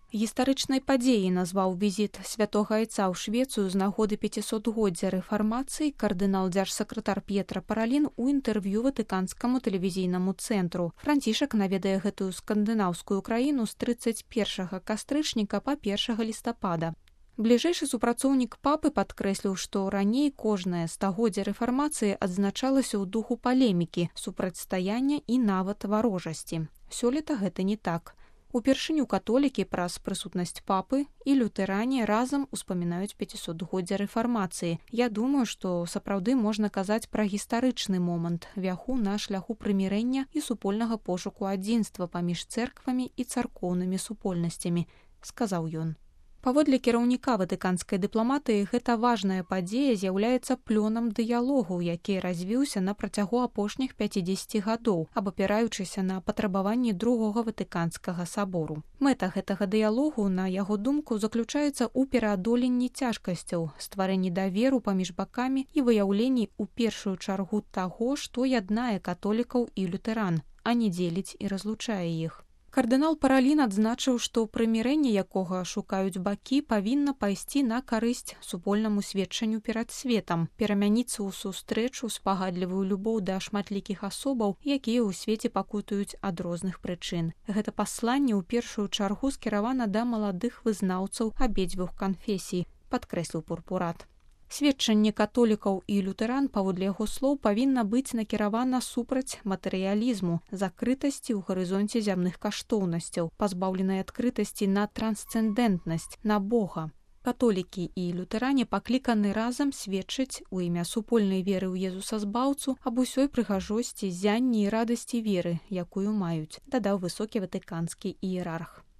Гістарычнай падзеяй назваў візіт святога айца ў Швецыю з нагоды 500-годдзя рэфармацыі кардынал дзяржсакратар П'етра Паралін у інтэрв'ю ватыканскаму тэлевізійнаму цэнтру. Францішак наведае гэтую скандынаўскую краіну з 31 кастрычніка па 1 лістапада. Бліжэйшы супрацоўнік папы падкрэсліў, што раней кожнае стагоддзе рэфармацыі адзначалася ў духу палемікі, супрацьстаяння і нават варожасці. Сёлета гэта не так. Упершыню католікі праз прысутнасць папы і лютэране разам успамінаюць 500-годдзя рэфармацыі. Я думаю, што сапраўды можна казаць пра гістарычны момант, вяху на шляху прымірэння і супольнага пошуку адзінства паміж цэрквамі і царкоўнымі супольнасцямі, сказаў ён. Паводле кіраўніка ватыканскай дыпламатыі, гэта важная падзея з'яўляецца плёнам дыялогу, які развіўся на працягу апошніх 50 гадоў, абапіраючыся на патрабаванні другога ватыканскага сабору. Мэта гэтага дыялогу, на яго думку, заключаецца ў пераадоленні цяжкасцяў, стварэнні даверу паміж бакамі і выяўленні ў першую чаргу таго, што яднае католікаў і лютэран, а не дзеліць і разлучае іх. Кардынал Паралін адзначыў, што прымірэнне, якога шукаюць бакі, павінна пайсці на карысць супольнаму сведчанню перад светам, перамяніцца ў сустрэчу спагадлівую любоў да шматлікіх асобаў, якія ў свеце пакутуюць ад розных прычын. Гэта пасланне ў першую чаргу скіравана да маладых вызнаўцаў абедзвюх канфесій, падкрэсліў пурпурат. Сведчанне католікаў і лютэран, паводле яго слоў, павінна быць накіравана супраць матэрыялізму, закрытасці ў гарызонце зямных каштоўнасцяў, пазбаўленай адкрытасці на трансцэндэнтнасць, на Бога. Католікі і лютэране пакліканы разам сведчыць у імя супольнай веры ў Езуса Збаўцу аб усёй прыгажосці, зянні і радасці веры, якую маюць, дадаў высокі ватыканскі іерарх.